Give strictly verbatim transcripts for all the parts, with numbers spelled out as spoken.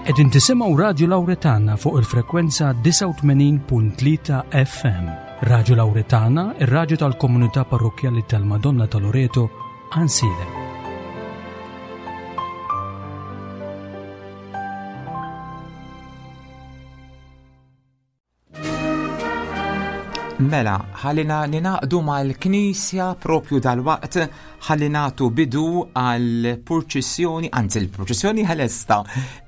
Qegħdin tisimgħu Radju Lawretana fuq il-frekwenza disgħa u tmenin punt tlieta F M. Radju Lawretana, ir-radju tal-Komunità Parrokkjali tal-Madonna ta' Loreto, Għajnsielem. Mela, ħallina ningħaqdu mal-Knisja propju dal-waqt, ħalli nagħtu bidu għal purċissjoni, anzi l-purċissjoni ħalesta,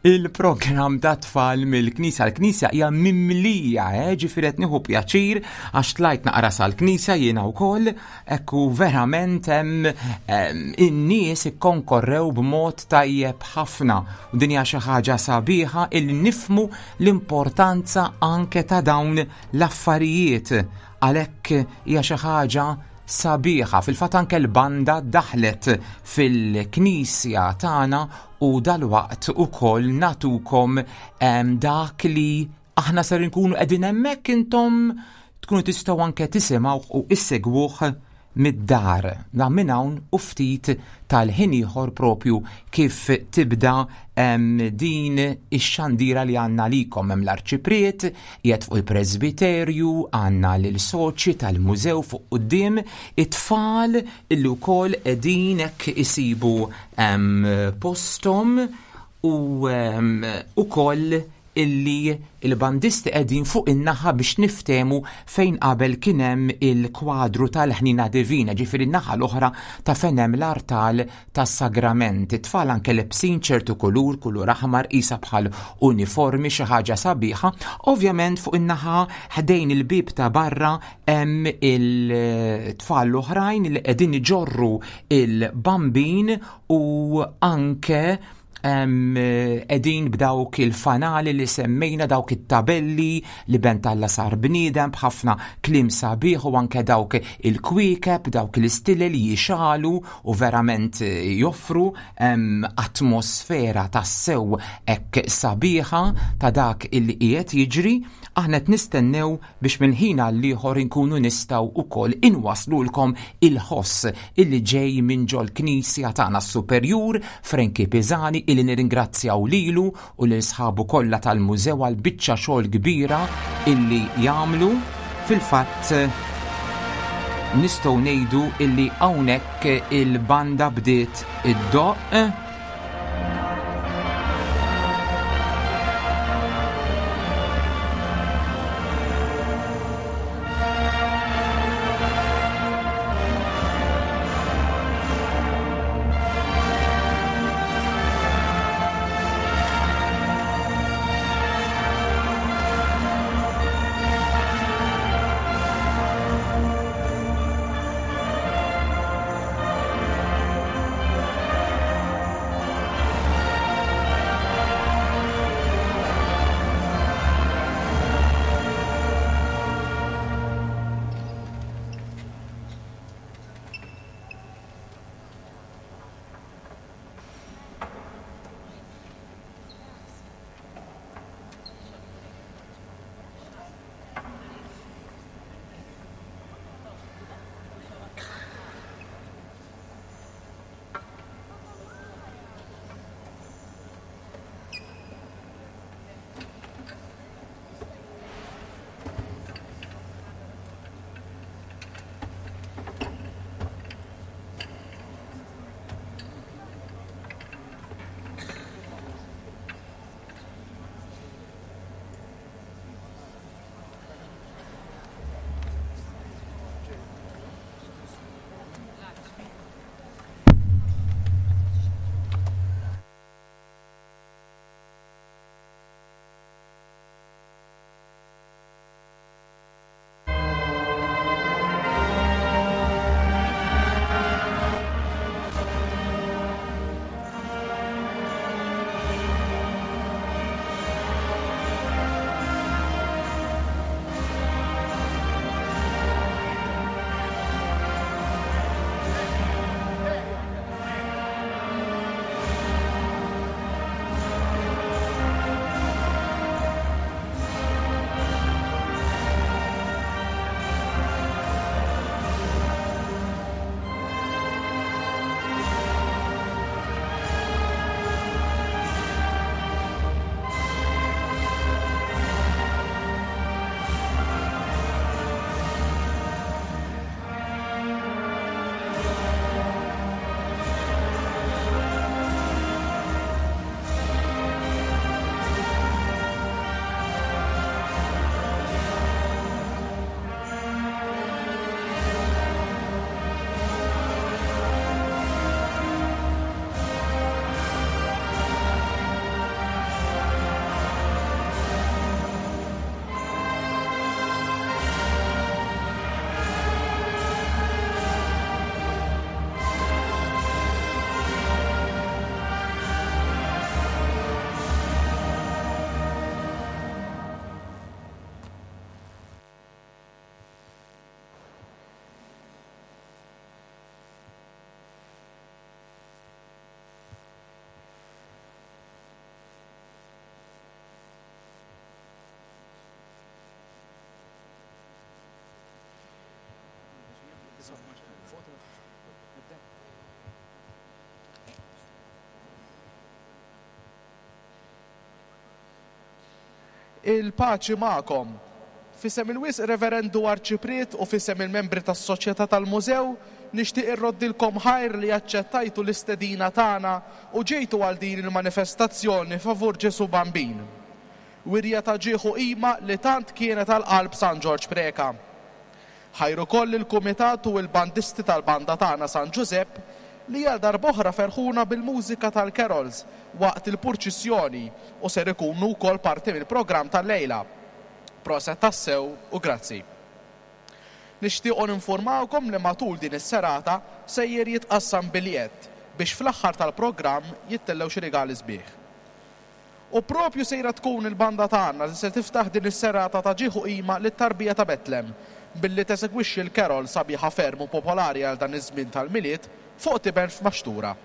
il-programm ta' tfal mill-Knisja. L-Knisja hija mimlija, eh, ġifieri qed nieħu pjaċir għax tlajt naqra sal-Knisja jiena wkoll, ekku verament hemm in-nies ikkonkorrew b'mod tajjeb ħafna. U din hija xi ħaġa sabiħa il nifmu l-importanza anke ta' dawn l-affarijiet, għalhekk hija xi ħaġa sabiħa. Fil-fatt anke l-banda daħlet fil-knisja tagħna u dalwaqt ukoll nagħtukom dak li aħna ser nkunu qegħdin hemmhekk, intom tkunu tistgħu anke tisimgħu u issegwuh mid-dar. Na minn hawn u ftit tal-ħin ieħor propju kif tibda din ix-xandira li għandna likom. Hemm l-arċipriet qiegħed fuq il-presbiterju, għandna lil soċi tal-mużew fuq quddiem, it-tfal illi wkoll qegħdin hekk isibu posthom u ukoll illi il-bandisti qegħdin fuq in-naħa biex niftemu fejn qabel kien hemm il-kwadru tal-Ħnina Divina, ġifieri n-naħa l-oħra ta' fejn hemm l-artal tas-sagrament. It-tfal anke lebsin ċertu kulur, kulur aħmar, isa bħal uniformi, xi ħaġa sabiħa. Ovvjament fuq in-naħa ħdejn il-bib ta' barra hemm il-tfal l-oħrajn li qegħdin iġorru il-bambin u anke qegħdin b'dawk il-fanali li semmejna, dawk it-tabelli li Ben t'Alla sar bniedem b'ħafna kliem sabiħ u anke dawk il-kwiekeb, dawk l-istilel li jixegħlu u verament joffru atmosfera tassew hekk sabiħa ta' dak illi qiegħed jiġri. Aħna qed nistennew biex minn ħin għal ieħor inkunu nistgħu ukoll inwaslulkom il-ħoss illi ġej minn ġol-knisja tagħna, s-Superjur Frankie Pisani, illi nirringrazzjaw lilu u lil sħabu kollha tal-mużew għal biċċa xogħol kbira illi jagħmlu. Fil-fatt nistgħu ngħidu illi hawnhekk il-banda bdiet iddoqq. Il-paċi magħkom. F'isem il-Wisq Reverendu Arċipriet u f'isem il-membri tas-Soċjetà tal-Mużew nixtieq irroddilkom ħajr li aċċettajtu l-istedina tagħna u ġejtu għal din il-manifestazzjoni favur Ġesu Bambin. Wirja ta' ġieħ u qima li tant kienet għal qalb San Ġorġ Preca. Ħajr ukoll il-kumitat u l-bandisti tal-banda tagħna San Ġużepp li għal darb'oħra ferħuna bil-mużika tal-carols waqt il-purċissjoni u ser ikunu wkoll parti mill-programm tal-lejla. Proset tassew u grazzi. Nixtiequ ninformawkom li matul din is-serata sejjer jitqassam biljett biex fl-aħħar tal-programm jittellew xi rigali sbieħ. U propju sejra tkun il-banda tagħna li se tiftaħ din is-serata ta' ġieħ u qima lit-tarbija ta' Betlem billi tesegwixxi l-carol sabiħa ferm u popolari għal dan iż-żmien tal-Milied fuq tiben f'maxtura.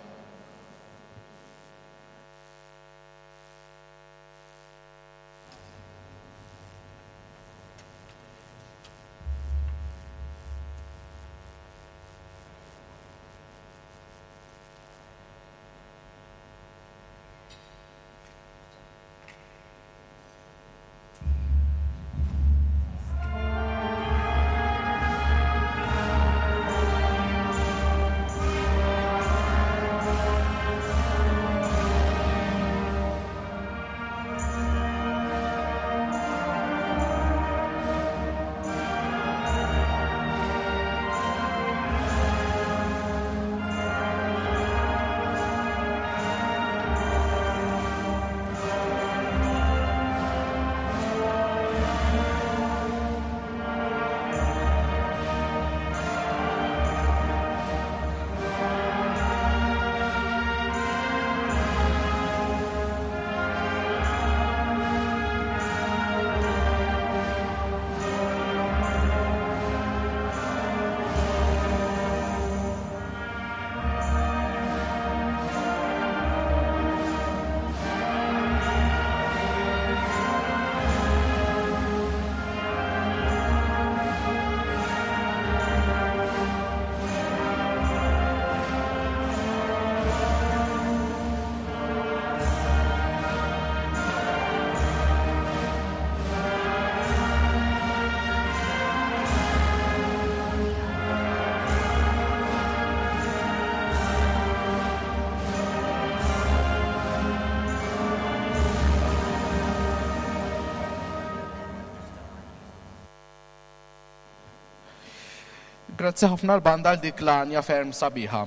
Grazzi ħafna l-banda għal dik l-għanja ferm sabiħa.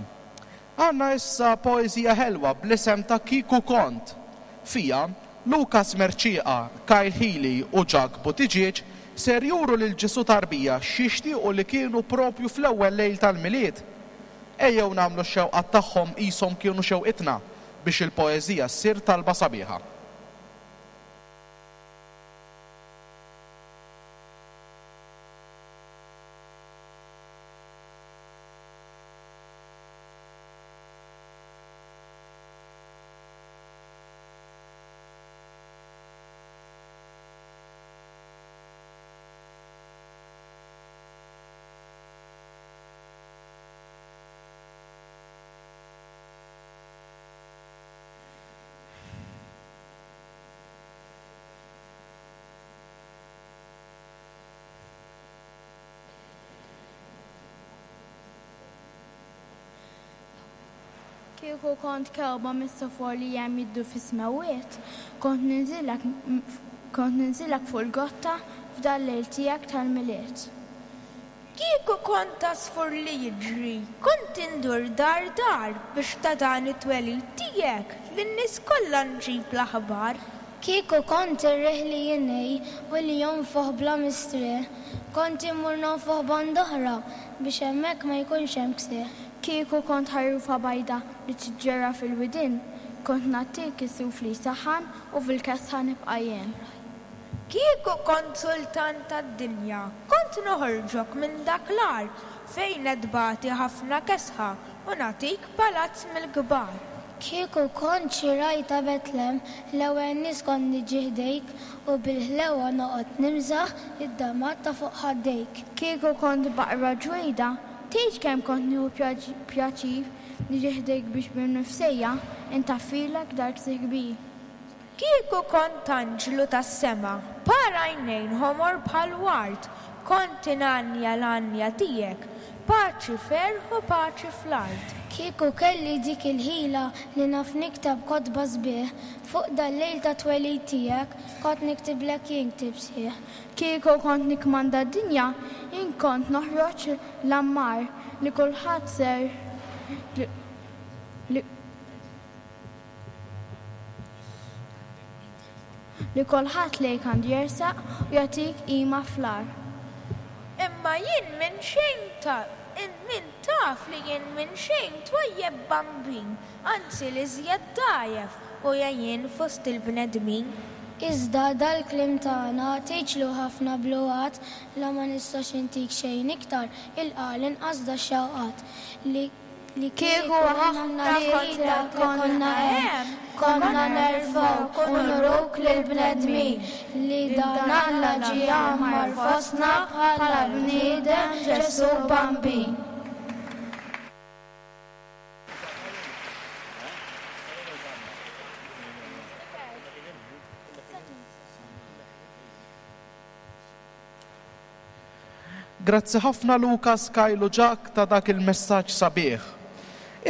Għanna issa poeżija ħelwa bl-isem ta' Kieku Kont. Fija, Lukas Mercieca, Kyle Healy u Jack Buttigieg ser juru lil Ġesu tarbija x'jixtiequ li kienu propju fl-ewwel lejl tal-Milied. Ejjew nagħmlu x-xewqat tagħhom qishom kienu xewqitna biex il-poeżija ssir talba sabiħa. Kieku kont kewba mis-sofor li hemm jiddu fis-smewwiet, kont ninżillek kont ninżillek fuq il-gotta f'dal lejl tiegħek tal-Milied. Kieku kont għasfur li jiġri, kont indur dar dar biex ta' dan it-twelid tiegħek lin-nies kollha nġib l-aħbar. Kieku kont ir-riħ li jinej u li jonfoħ bla mistrieħ, kont immur nonfoħ band'oħra biex hemmhekk ma jkunx hemm ksieħ. Kieku kont ħarufa bajda li tiġġerra fil-widien, kont nagħtik is-suf li jsaħħan u fil-kesħa nibqa' jien. Kieku kont sultan tad-dinja, kont noħorġok minn dak l-għar fejn qed tbati ħafna kesħa u nagħtik palazz mill-kbar. Kieku kont xi raj ta' Betlem, l-ewwel nies kont niġi ħdejk u bil-ħlewa noqgħod nimżaħ id-damat ta' fuq ħaddejk. Kieku kont baqra ġwejda, Tgħidx kemm kont nieħu pjaċir niġi ħdejk biex bin-nifsejja intaffilek dal-ksieħ kbir. Kieku kont anġlu tas-sema, par għajnejn ħomor bħal ward, kont ingħannja l-għanja tiegħek, paċi ferħ u paċi fl-art. Kieku kelli dik il-ħila li naf nikteb kotba sbieħ, fuq dal-lejl ta' twelid tiegħek kont niktiblek jien ktieb sħiħ. Kieku kont nikkmanda d-dinja, jien kont noħroġ l-ammar li kulħadd ser li li kulħadd lejk għandu jersaq u jagħtik qima fl-għar. Imma jien minn xejn ta' min taf li jien minn xejn twajjeb bambin, anzi li żjed dgħajjef u jien fost il-bnedmin. Iżda dal-kliem tagħna tgħidxlu ħafna bluwat, la ma nistax intik xejn iktar ilqa' l-inqas dax-xewqat li li kieku aħna li konna hemm, konna nerfgħuk u nuruk lill-bnedmin li dan Alla ġie jgħammar fostna bħala bniedem Ġesù Bambin. Grazzi ħafna Lukas, Kyle u Jack ta' dak il-messaġġ sabiħ.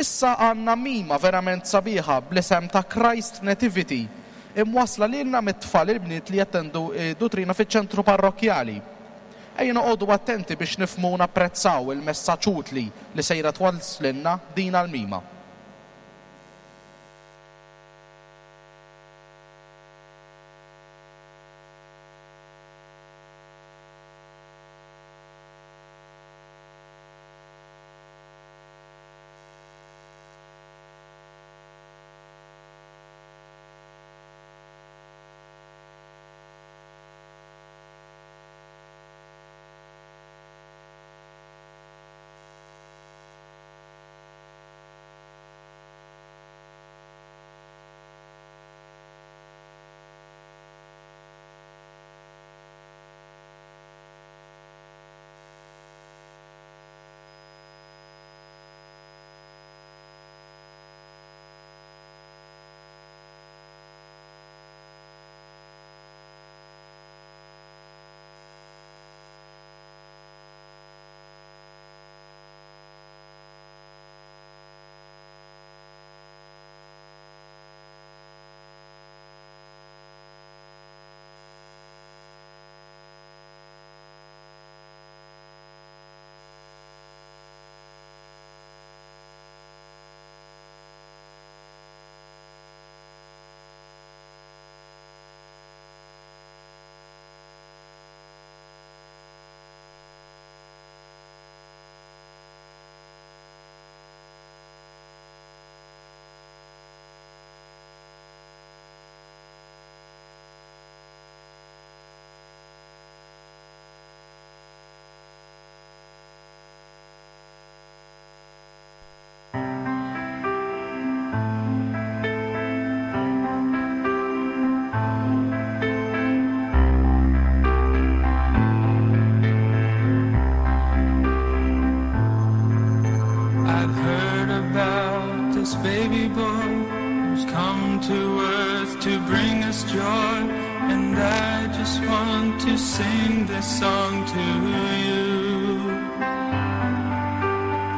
Issa għandna mima verament sabiħa bl-isem ta' Christ Nativity, imwasla lilna mit-tfal il-bniet li jattendu duttrina fiċ-ċentru parrokkjali. Ejja noqogħdu attenti biex nifhmu u napprezzaw il-messaġġ utli li sejra twasslilna din l-mima. Baby boy who's come to earth to bring us joy, and I just want to sing this song to you.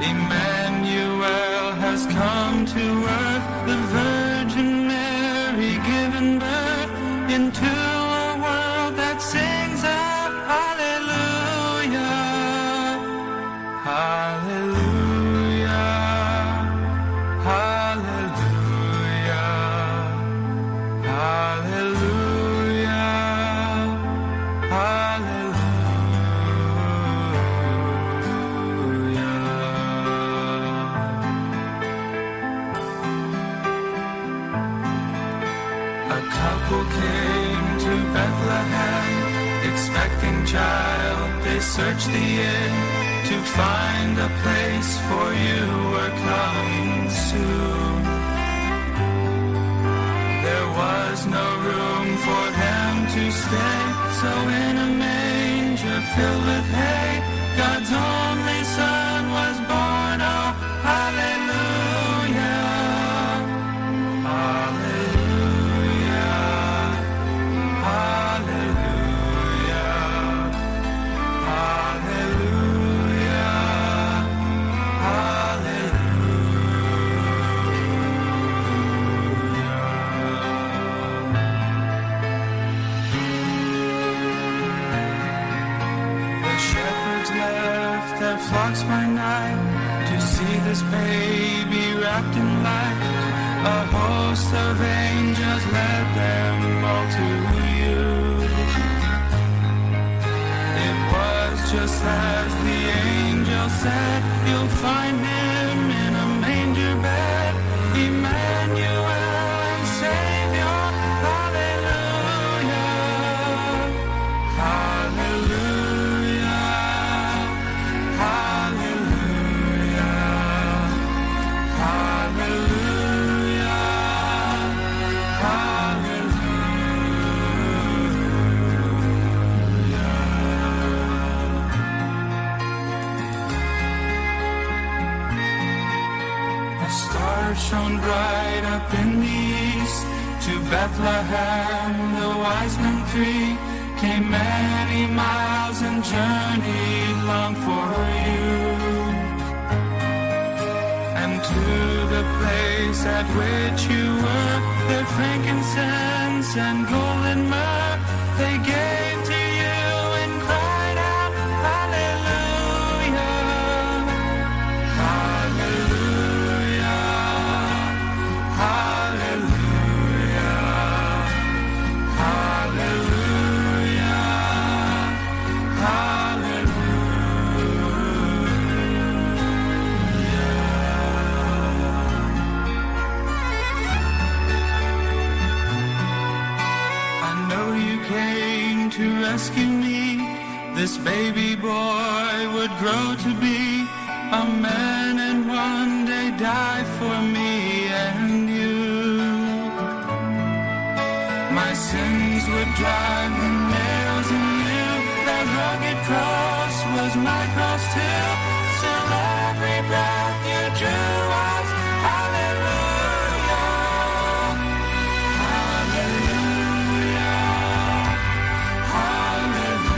Emmanuel has come to earth, the Virgin Mary given birth into a world that sings out hallelujah, hallelujah. Child, they searched the inn to find a place, for you were coming soon. There was no room for them to stay, so in a manger filled with hay, God's only Son was This baby wrapped in light, a host of angels led them all to you. It was just as the angel said, you'll find him in a manger bed, Emmanuel and Savior, hallelujah, hallelujah, hallelujah, hallelujah, hallelujah. A star shone bright up in the east, to Bethlehem the wise men three came many miles and journeyed long for you. And to the place at which you were, their frankincense and golden myrrh they gave to you and cried out, hallelujah, hallelujah, hallelujah, hallelujah, hallelujah. I know you came to rescue me. This baby boy would grow to be a man and one day die for me and you. My sins would drive the nails in you. That rugged cross was my cross too. Still every breath you drew was hallelujah, hallelujah, hallelujah, hallelujah,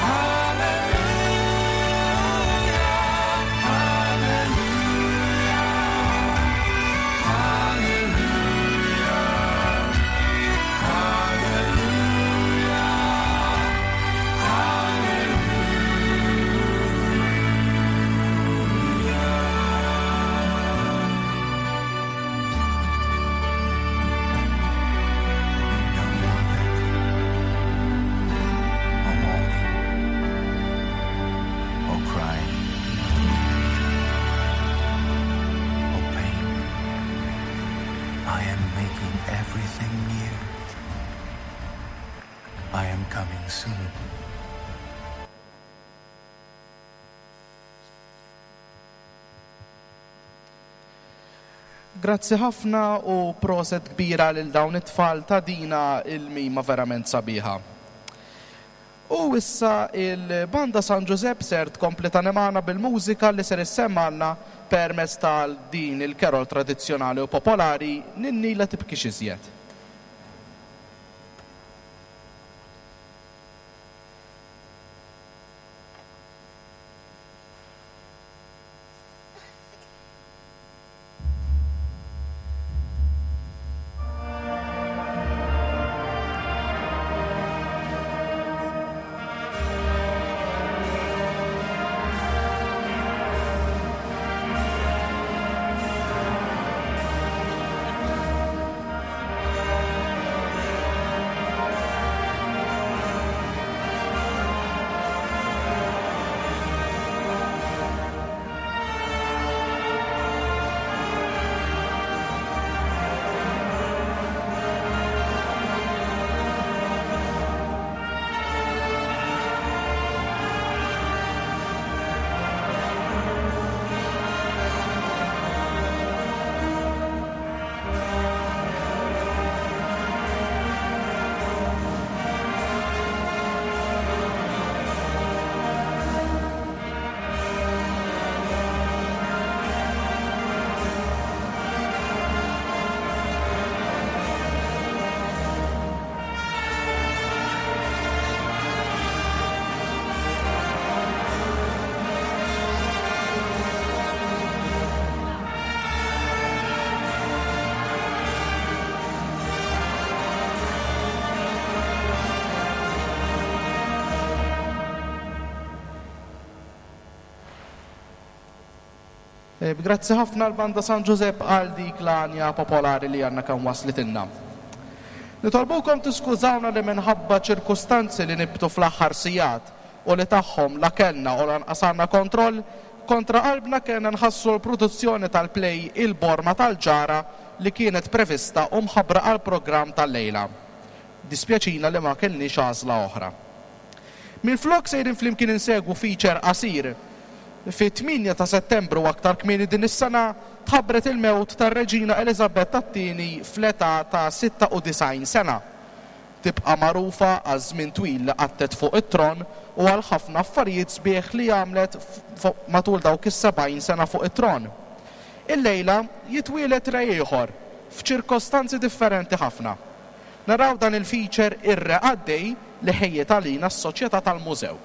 hallelujah, hallelujah, hallelujah, hallelujah, No more death, or mourning, or crying, or pain. I am making everything new. I am coming soon. Grazzi ħafna u proset kbira lil dawn it-tfal ta' dina il-mima verament sabiħa. U issa il-Banda San Giuseppe ser tkompli tagħna bil-mużika li ser issemmalna permezz tal din il-kerol tradizzjonali u popolari Ninni la tibkix iżjed. Hallelujah. Grazzi ħafna l-Banda San Giuseppe għal dik l-għanja popolari li għandna kemm waslitilna. Nitolbukom tiskużawna li minħabba ċirkustanzi li nibtu fl-aħħar sigħat u li tagħhom la kellna u lanqas għandna kontroll, kontra qalbna kellna nħassu l-produzzjoni tal-play Il-Borma tal-Ġara li kienet prevista u mħabbra għall-programm tal-lejla. Dispjaċina li ma kellniex għażla oħra. Minflok sejrin flimkien insegwu feature qasir. Fit-tmienja ta' Settembru aktar kmieni din is-sena tħabbret il-mewt tar-Reġina Eliżabetta t-tieni fl-età ta' sitta u disgħin sena. Tibqa' magħrufa għaż-żmien twil li qattet fuq it-tron u għal ħafna affarijiet sbieħ li għamlet matul dawk is-sebgħin sena fuq it-tron. Illejla jitwielet re ieħor f'ċirkostanzi differenti ħafna. Naraw dan il-feature Ir-Re Għaddej li ħejjet għalina s-Soċjetà tal-Mużew.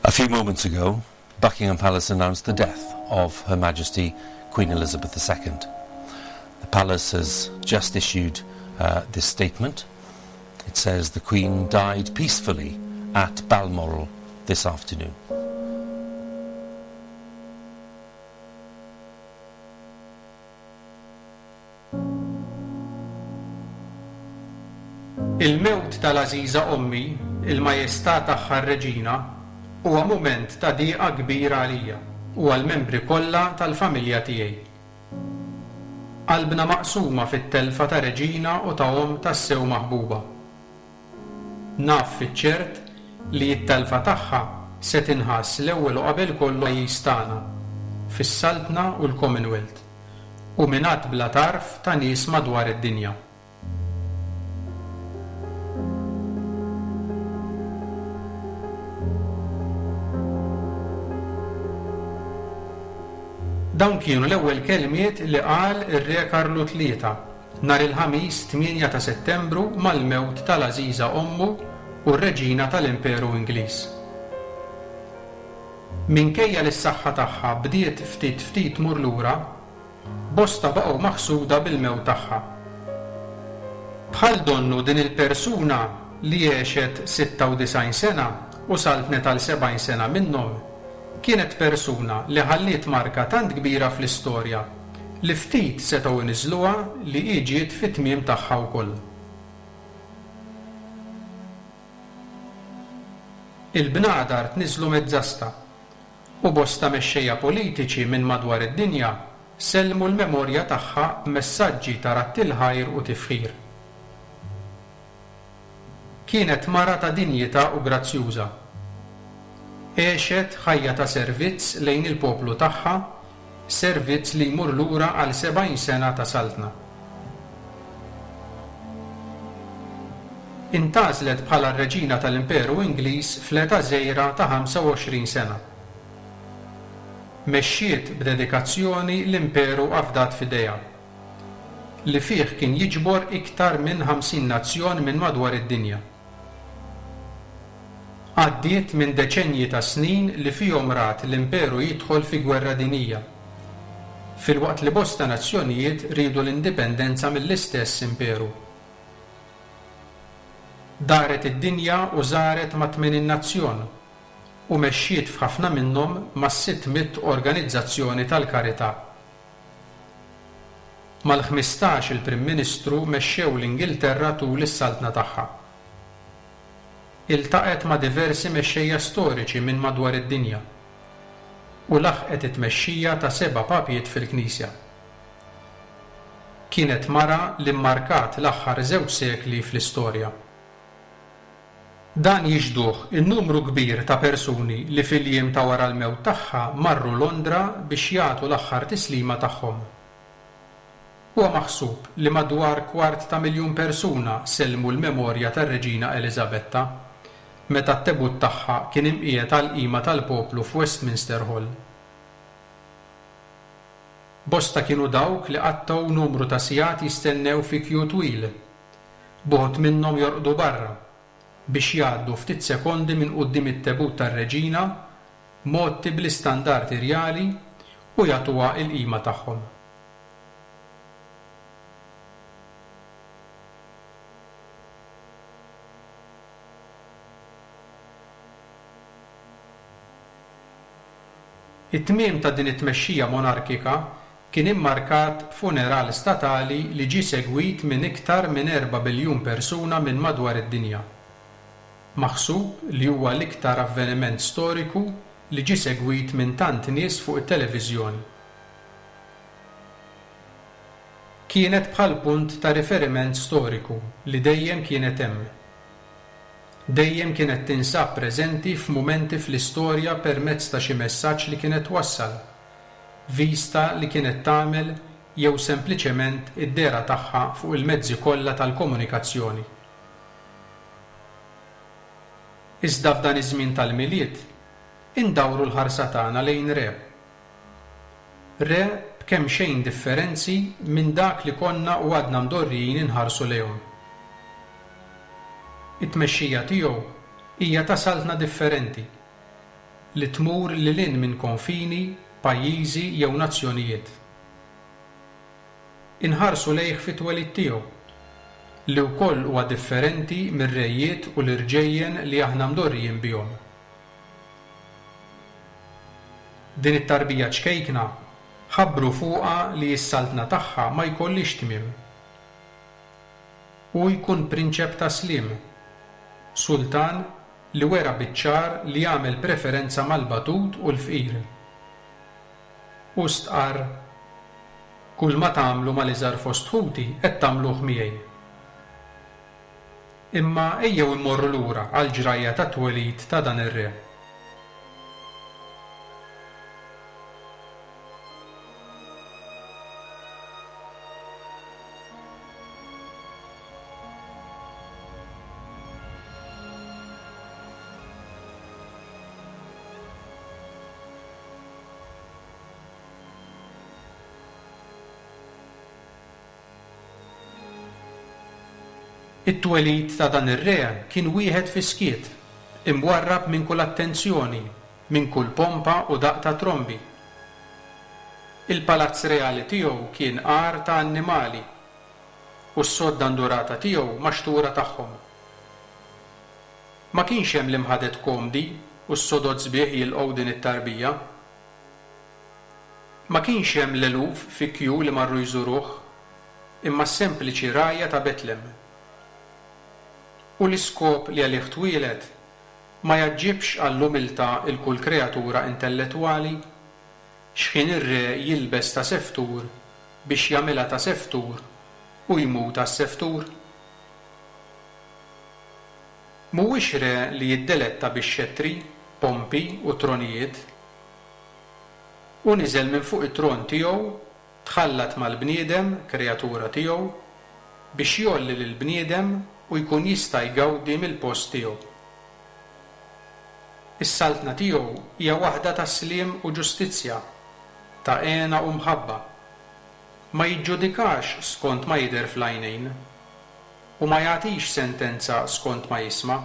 A few moments ago, Buckingham Palace announced the death of Her Majesty Queen Elizabeth the Second. The palace has just issued uh, this statement. It says the Queen died peacefully at Balmoral this afternoon. Il-mewt tal-għażiża ommi, il-majestà tagħha r-reġina, huwa mument ta' dieqa kbira għalija u għall-membri kollha tal-familja tiegħi. Qalbna maqsuma fit-telfa ta' reġina u ta' omm tassew maħbuba. Naf fiċ-ċert li t-telfa tagħha se tinħass l-ewwel u qabel kollu pajjiż tagħna, fis-Saltna u l-Commonwealth, u minn għadd bla tarf ta' nies madwar id-dinja. Dawn kienu l-ewwel kelmiet li qal ir-Re Karlu tlieta nhar il-Ħamis tmienja ta' Settembru mal-mewt tal-għażiża ommu u r-Reġina tal-Imperu Ingliż. Minkejja li s-saħħa tagħha bdiet ftit ftit tmur lura, bosta baqgħu maħsuda bil-mewt tagħha. Bħal donnu din il-persuna li għexet sitta u disgħin sena u saltnet għal sebgħin sena minnhom, kienet persuna li ħalliet marka tant kbira fl-istorja li ftit setgħu iniżluha li hi ġiet fit-tmiem tagħha wkoll. Il-bnadar tniżlu mezzasta u bosta mexxejja politiċi minn madwar id-dinja sellmu l-memorja tagħha b'messaġġi ta' ratt il-ħajr u tifħir. Kienet mara ta' dinjità u grazzjuża. Għexet ħajja ta' servizz lejn il-poplu tagħha, servizz li jmur lura għal sebgħin sena ta' saltna. Intgħażlet bħala r-reġina tal-Imperu Ingliż fl-età żgħira ta' ħamsa u għoxrin sena. Mexxiet b'dedikazzjoni l-imperu afdat f'idejha, li fih kien jiġbor iktar minn ħamsin nazzjon minn madwar id-dinja. Għaddiet minn deċenji ta' snin li fihom rat l-imperu jidħol fi gwerra dinija, filwaqt li bosta nazzjonijiet riedu l-indipendenza mill-istess imperu. Daret id-dinja u żaret ma' tmenin nazzjon u mexxiet f'ħafna minnhom ma' sitt mitt organizzazzjoni tal-karità. Mal-ħmistax il-Prim Ministru mexxew l-Ingilterra tul is-saltna tagħha. Iltaqgħet ma' diversi mexxejja storiċi minn madwar id-dinja u laħqet it-tmexxija ta' seba' papijiet fil-Knisja. Kienet mara li mmarkat l-aħħar żewġ sekli fl-istorja. Dan jixduh in-numru kbir ta' persuni li fil-jiem ta' wara l-mewt tagħha marru Londra biex jagħtu l-aħħar tislima tagħhom. Huwa maħsub li madwar kwart ta' miljun persuna sellmu l-memorja tar-Reġina Eliżabetta meta t-tebut tagħha kien imqiegħed għall-qima tal-poplu f'Westminster Hall. Bosta kienu dawk li qattgħu numru ta' sigħat jistennew fi kju twil, b'uħud minnhom jorqdu barra biex jgħaddu ftit sekondi minn quddiem it-tebut tar-reġina mgħotti bl-istandardi rjali u jagħtuha l-qima tagħhom. It-tmiem ta' din it-tmexxija monarkika kien immarkat b'funeral statali li ġie segwit minn iktar minn erba' biljun persuna minn madwar id-dinja. Maħsub li huwa l-iktar avveniment storiku li ġie segwit minn tant nies fuq it-televiżjoni. Kienet bħal punt ta' riferiment storiku li dejjem kienet hemm. Dejjem kienet tinsab preżenti f'mumenti fl-istorja permezz ta' xi messaġġ li kienet twassal, vista li kienet tagħmel jew sempliċement id-dehra tagħha fuq il-mezzi kollha tal-komunikazzjoni. Iżda f'dan iż-żmien tal-Milied, indawru l-ħarsa tagħna lejn re. Re b'kemm xejn differenzi minn dak li konna u għadna mdorrijin inħarsu lejhom. It-tmexxija tiegħu hija ta' saltna differenti li tmur lil hinn minn konfini, pajjiżi jew nazzjonijiet. Inħarsu lejh fit-twelid tiegħu, li wkoll huwa differenti mir-rejiet u l-irġejjen li aħna mdorrijin bihom. Din it-tarbija ċkejkna ħabbru fuqha li s-saltna tagħha ma jkollix tmiem. Hu jkun prinċep ta' sliem, sultan li wera biċ-ċar li jagħmel preferenza mal-batut u l-fqir. U stqarr, kull ma tagħmlu mal-iżgħar fost ħuti qed tagħmluh miegħi. Imma ejjew immorru lura għall-ġrajja tat-twelid ta' dan ir-re. It-twelid ta' dan ir-re kien wieħed fi skiet, imwarrab minn kull attenzjoni, minn kull pompa u daqq ta' trombi. Il-palazz reali tiegħu kien għar ta' annimali u s-sodda ndurata tiegħu maxtura tagħhom. Ma kienx hemm l-imħadet komdi u s-sodod sbieħ jilqgħu din it-tarbija. Ma kienx hemm l-eluf fi kju li marru jżuruh, imma s-sempliċi rgħajja ta' Betlem. U l-iskop li għalih twieled ma jaġġibx għall-umiltà il kull kreatura intellettwali, x'ħin ir-re jilbes ta' seftur biex jagħmilha ta' seftur u jmut għas-seftur. Mhuwiex re li jiddeletta bix-xettri, pompi u tronijiet. U niżel minn fuq it-tron tiegħu, tħallat mal-bniedem, kreatura tiegħu, biex jgħolli lill-bniedem u jkun jista' jgawdi mill-post tiegħu. Is-saltna tiegħu hija waħda ta' sliem u ġustizzja, ta' hena u mħabba. Ma jiġġudikax skont ma jidher fl-għajnejn, u ma jagħtix sentenza skont ma jisma',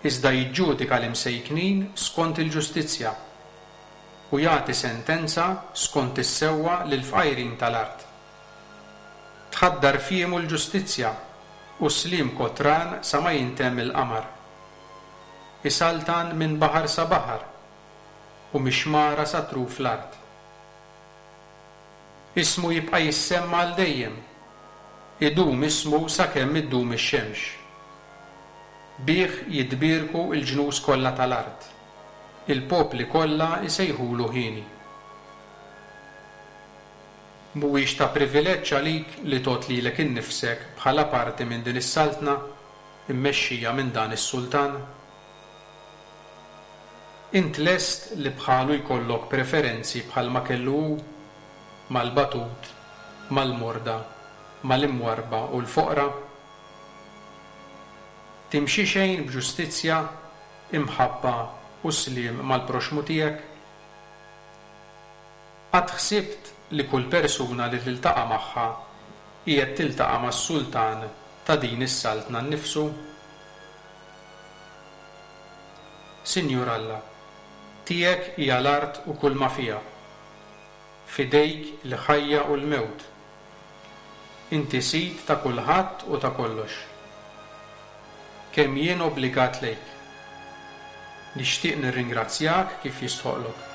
iżda jiġġudika l-imsejknin skont il-ġustizzja u jagħti sentenza skont is-sewwa lill-fqajrin tal-art. Tħaddar fiemu l-ġustizzja u sliem kotran sa ma jintemm il-qamar. Isaltan minn baħar sa baħar u mix-xmara sa truf l-art. Ismu jibqa' jissemma għal dejjem, idum ismu sakemm iddum ix-xemx. Bih jitbierku l-ġnus kollha tal-art, il-popli kollha jsejħulu ħieni. Mhuwiex ta' privileġġ għalik li tgħod lilek innifsek bħala parti minn din is-saltna immexxija minn dan is-sultan? Int lest li bħalu jkollok preferenzi bħalma kellu hu, mal-batut, mal-morda, mal-imwarba u l-foqra? Timxi xejn b'ġustizzja, imħabba u sliem mal-proxmu tiegħek? Qatt ħsibt li kull persuna li tiltaqa' magħha qiegħed tiltaqa' mas-sultan ta' din is-saltna nnifsu? Sinjur Alla, tiegħek hija l-art u kull ma fiha, f'idejk il-ħajja u l-mewt. Inti sid ta' kulħadd u ta' kollox. Kemm jien obbligat lejk. Nixtieq nirringrazzjak kif jistħoqlok.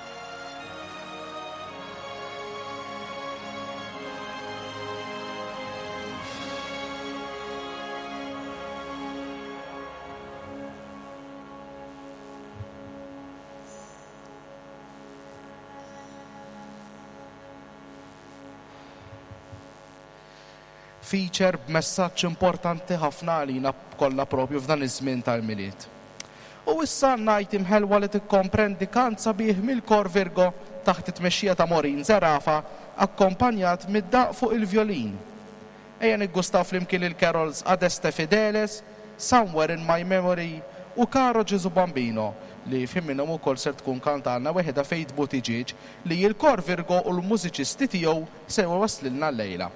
Feature b'messaġġ importanti ħafna għalina kollha propju f'dan iż-żmien tal-Milied. U issa ngħid imħelwa li tikkomprendi kant sabiħ mill-Kor Virgo taħt it-tmexxija ta' Maureen Zerafa akkompanjat mid-daq fuq il-violin. Ejja niggustaw flimkien il-carols Adeste Fideles, Somewhere in My Memory u Caro Gesù Bambino li f'ħin minnhom ukoll ser tkun kantalna weħida Faith Buttigieg li l-Kor Virgo u l-mużiċisti tiegħu se jwasslilna llejla.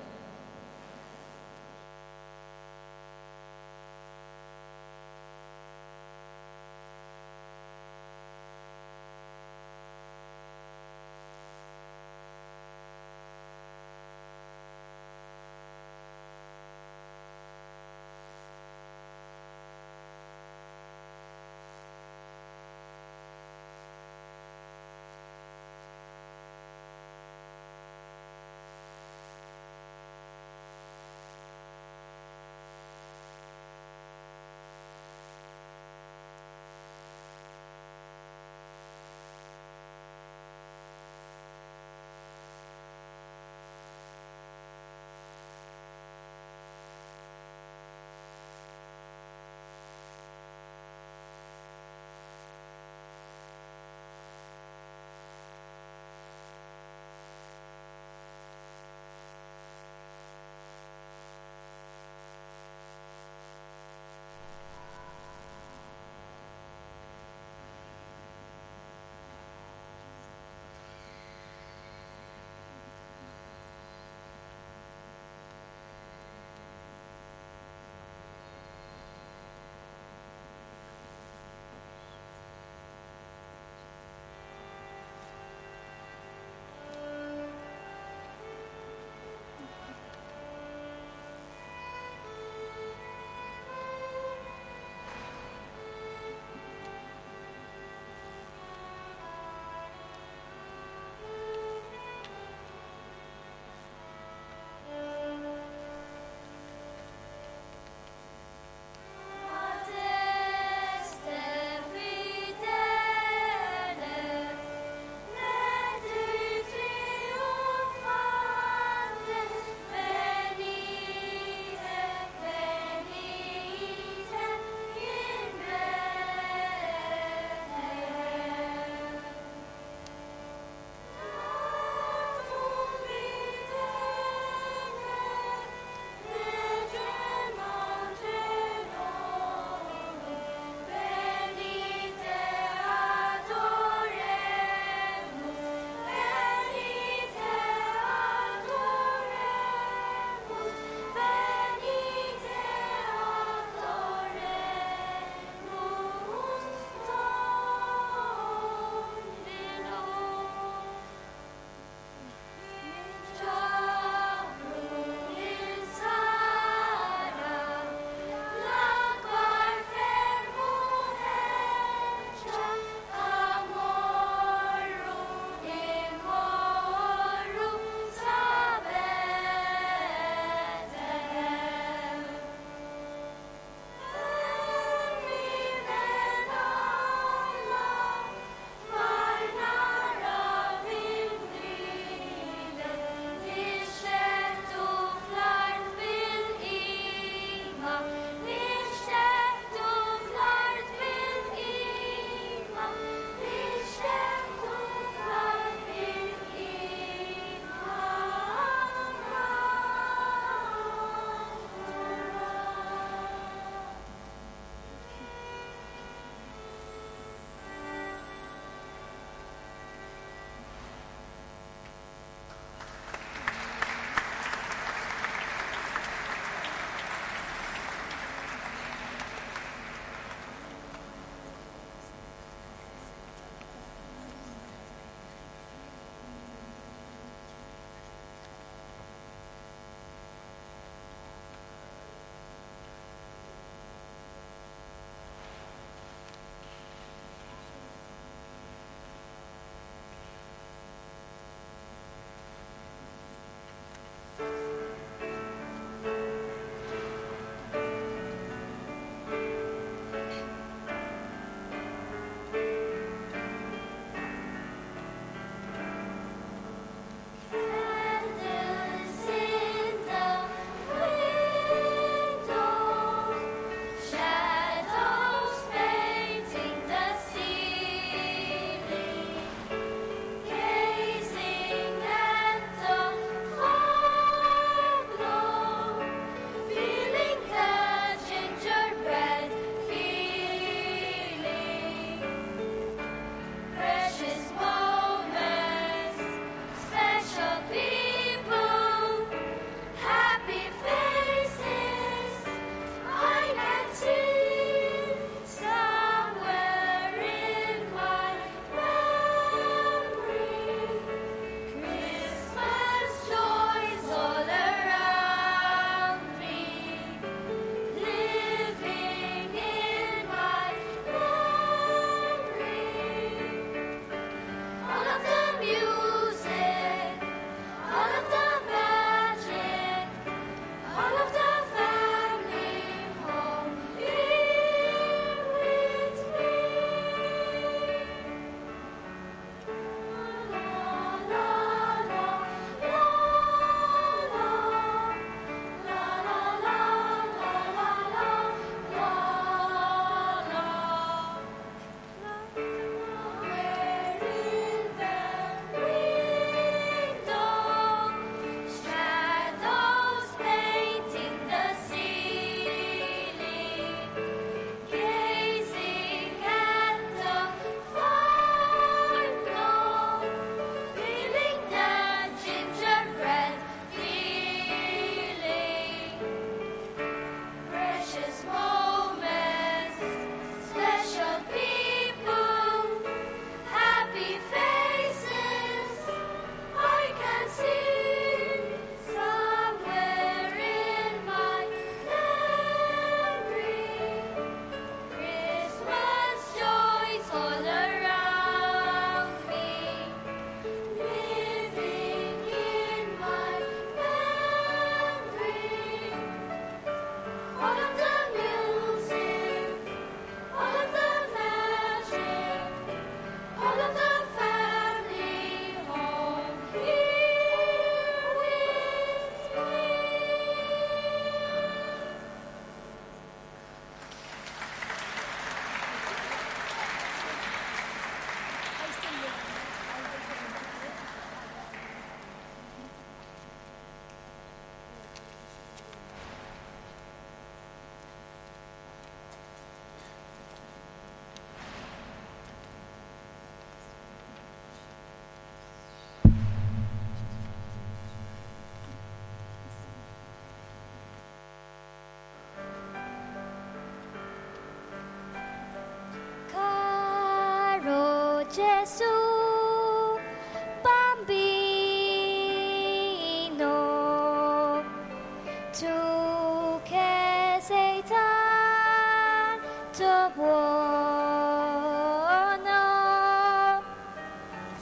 tanto buono.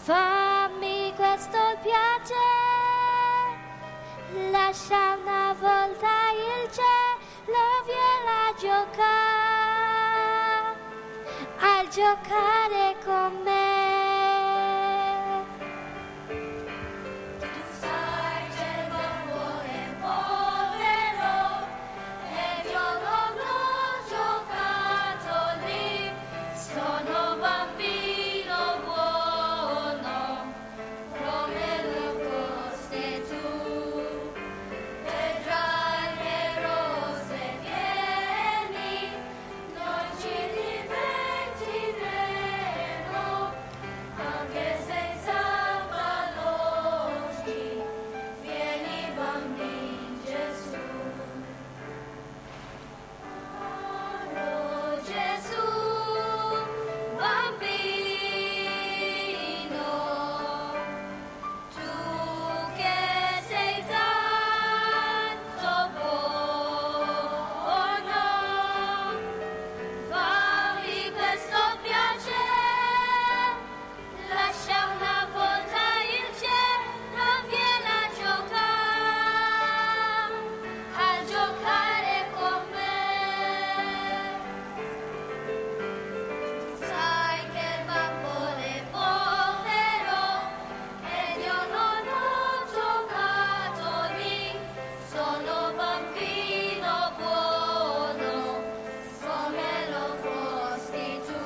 Fammi questo piacere, lascia una volta il cielo, vieni a giocare, a giocare con me. Tu sai che il mio cuore è povero ed io non ho giocattoli, sono bambino buono come lo foste tu. Vedrai che rose vieni, noi ci divertiremo, anche senza palloni, vieni bambino Gesù. Oh Gesù, bambino, tu che sei tanto buono, fammi questo piacere, lascia una volta il cielo, vieni a giocare, a giocare con me. Sai che il bambino è povero ed io non ho giocattoli, sono bambino buono come lo fosti tu.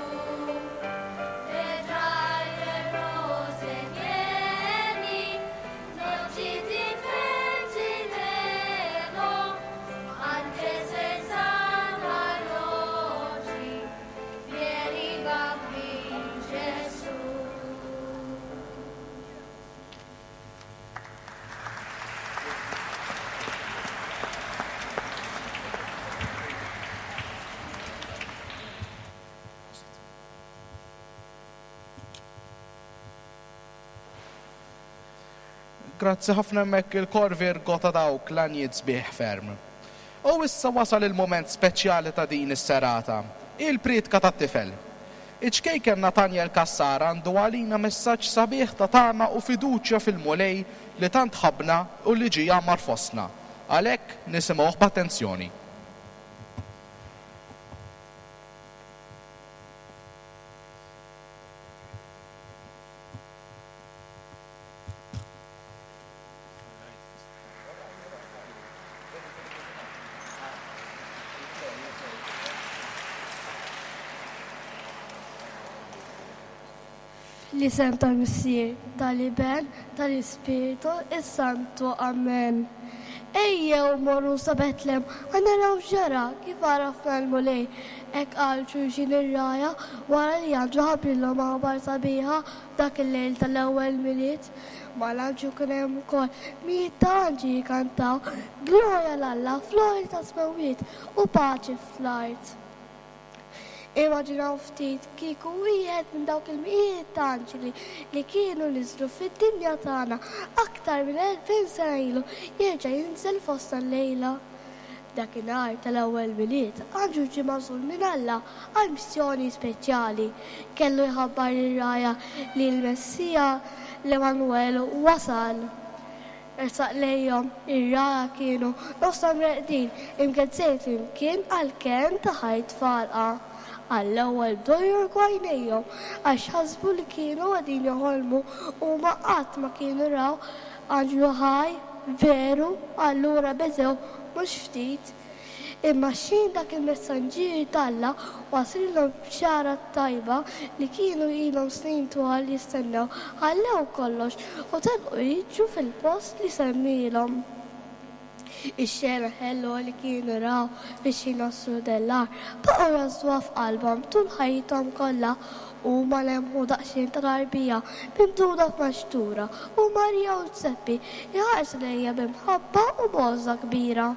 Vedrai che rose vieni, noi ci divertiremo, anche senza palloni, vieni bambino Gesù. Grazzi ħafna hemmhekk il-kor Virgo ta' dawk l-għanjiet sbieħ ferm. U issa wasal il-moment speċjali ta' din is-serata, il-priedka tat-tifel. Iċ-ċkejken Nathaniel Cassar għandu għalina messaġġ sabiħ ta' tama u fiduċja fil-Mulej li tant ħabna u li ġie jgħammar fostna. Għalhekk nisimgħuh b'attenzjoni. L-isem tal-Missier, tal-Iben, tal-Ispirtu, is-Santu. Amen. Ejjew morru sa Betlem, ħa naraw x'ġara kif għarafna l-Mulej. Hekk qal xulxin ir-rgħajja wara li anġlu ħabbrilhom aħbar sabiħa f'dak il-lejl tal-ewwel Milied. Mal-anġlu kien hemm ukoll mijiet ta' anġli jkantaw glorja 'l Alla fl-għoli tas-smewwiet u paċi fl-art. Immaġinaw ftit kieku wieħed minn dawk il-mijiet ta' anġli li kienu niżlu fid-dinja tagħna aktar minn elfejn sena ilu jerġa' jinżel fostna llejla. Dakinhar tal-ewwel Milied, anġlu ġie magħżul minn Alla għal missjoni speċjali. Kellu jħabbar lir-rgħajja li l-Messija l-Emanuel wasal. Ersaq lejhom ir-rgħajja kienu nofshom reqdin imgezzejn flimkien għall-kenn ta' ħajt falqa. Għall-ewwel bdew jorqu għajnejhom għax ħasbu li kienu qegħdin joħolmu u ma qatt ma kienu raw anġlu ħaj veru, allura beżew mhux ftit. Imma x'ħin dak il-messaġġier t'Alla waslilhom bxara tajba li kienu ilhom snin twal jistennew, ħallew kollox u telqu jiġu fil-post li semmilhom. Ix-xena ħelwa li kienu raw biex jinossru dellar baqgħu jażduha f'qalbhom tul ħajjithom kollha. Huma lemħu daqsxejn ta' tarbija mimduda f'maxtura u Marija u Ġużeppi jħarsu lejha b'imħabba u b'għożża kbira.